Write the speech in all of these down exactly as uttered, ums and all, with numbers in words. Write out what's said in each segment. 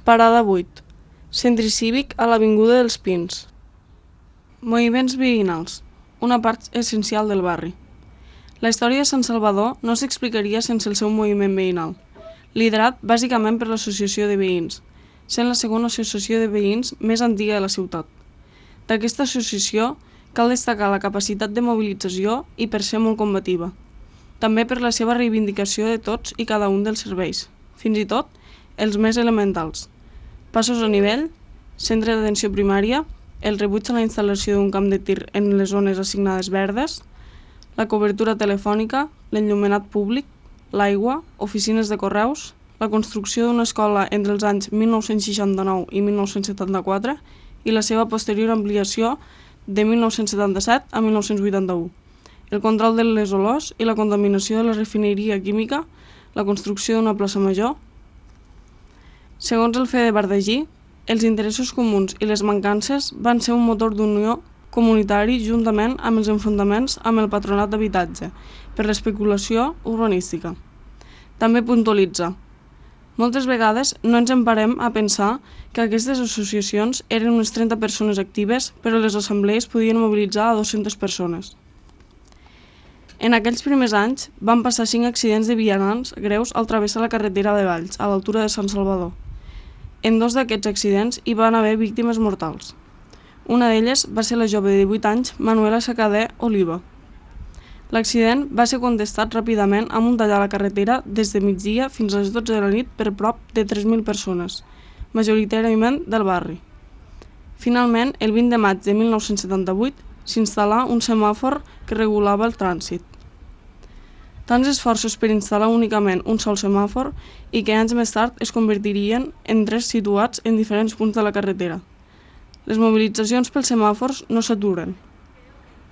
Parada vuit. Centre cívic a l'Avinguda dels Pins. Moviments veïnals, una part essencial del barri. La història de Sant Salvador no s'explicaria sense el seu moviment veïnal, liderat bàsicament per l'Associació de Veïns, sent la segona associació de veïns més antiga de la ciutat. D'aquesta associació cal destacar la capacitat de mobilització i per ser molt combativa, també per la seva reivindicació de tots i cada un dels serveis, fins i tot els més elementals. Passos a nivell, centre d'atenció primària, el rebuig a la instal·lació d'un camp de tir en les zones assignades verdes, la cobertura telefònica, l'enllumenat públic, l'aigua, oficines de correus, la construcció d'una escola entre els anys mil nou-cents seixanta-nou i mil nou-cents setanta-quatre i la seva posterior ampliació de mil nou-cents setanta-set a mil nou-cents vuitanta-u, el control de les olors i la contaminació de la refineria química, la construcció d'una plaça major. Segons el Fede Bardagí, els interessos comuns i les mancances van ser un motor d'unió comunitari juntament amb els enfrontaments amb el patronat d'habitatge per l'especulació urbanística. També puntualitza: moltes vegades no ens emparem a pensar que aquestes associacions eren unes trenta persones actives, però les assemblees podien mobilitzar a dues-centes persones. En aquells primers anys van passar cinc accidents de vianants greus al travessar la carretera de Valls, a l'altura de Sant Salvador. En dos d'aquests accidents hi van haver víctimes mortals. Una d'elles va ser la jove de divuit anys, Manuela Sacader Oliva. L'accident va ser contestat ràpidament amb un tall a la carretera des de migdia fins a les dotze de la nit per prop de tres mil persones, majoritàriament del barri. Finalment, el vint de maig de mil nou-cents setanta-vuit, s'instal·là un semàfor que regulava el trànsit. Tants esforços per instal·lar únicament un sol semàfor i que anys més tard es convertirien en tres situats en diferents punts de la carretera. Les mobilitzacions pels semàfors no s'aturen.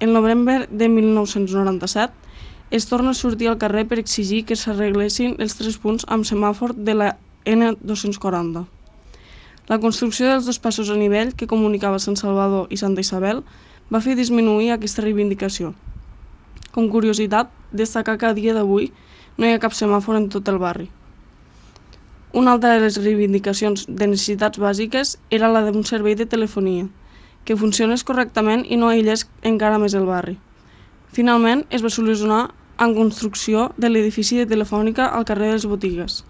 El novembre de mil nou-cents noranta-set es torna a sortir al carrer per exigir que s'arreglessin els tres punts amb semàfor de la ena dos-cents quaranta. La construcció dels dos passos a nivell que comunicava Sant Salvador i Santa Isabel va fer disminuir aquesta reivindicació. Com curiositat, destacar que a dia d'avui no hi ha cap semàfor en tot el barri. Una altra de les reivindicacions de necessitats bàsiques era la d'un servei de telefonia, que funcionés correctament i no aïllés encara més el barri. Finalment, es va solucionar amb construcció de l'edifici de Telefònica al carrer de les Botigues.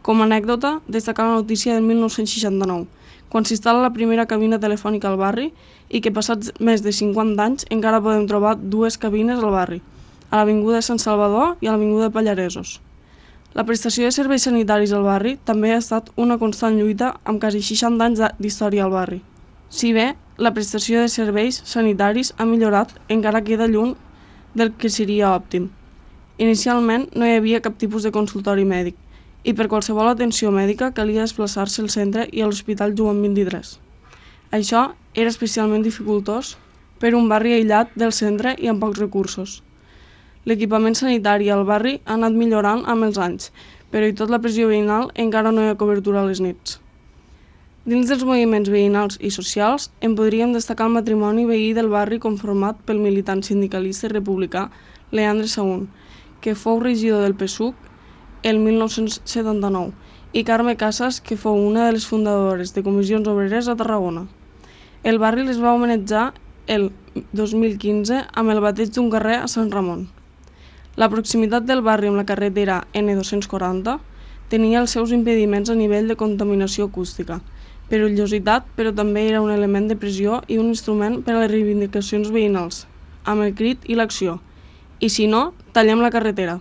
Com a anècdota, destacar la notícia del mil nou-cents seixanta-nou, quan s'instal·la la primera cabina telefònica al barri i que passats més de cinquanta anys encara podem trobar dues cabines al barri, a l'Avinguda de Sant Salvador i a l'Avinguda de Pallaresos. La prestació de serveis sanitaris al barri també ha estat una constant lluita amb quasi seixanta anys d'història al barri. Si bé la prestació de serveis sanitaris ha millorat, encara queda lluny del que seria òptim. Inicialment no hi havia cap tipus de consultori mèdic i per qualsevol atenció mèdica calia desplaçar-se al centre i a l'Hospital Joan vint-i-tres. Això era especialment dificultós per un barri aïllat del centre i amb pocs recursos. L'equipament sanitari al barri ha anat millorant amb els anys, però i tot la pressió veïnal encara no hi ha cobertura a les nits. Dins dels moviments veïnals i socials en podríem destacar el matrimoni veí del barri conformat pel militant sindicalista i republicà Leandre Sahún, que fou regidor del P SUC el mil nou-cents setanta-nou, i Carme Casas, que fou una de les fundadores de Comissions Obreres a Tarragona. El barri les va homenatjar el dos mil quinze amb el bateig d'un carrer a Sant Ramon. La proximitat del barri amb la carretera ena dos-cents quaranta tenia els seus impediments a nivell de contaminació acústica, perillositat, però també era un element de pressió i un instrument per a les reivindicacions veïnals, amb el crit i l'acció. I si no, tallem la carretera.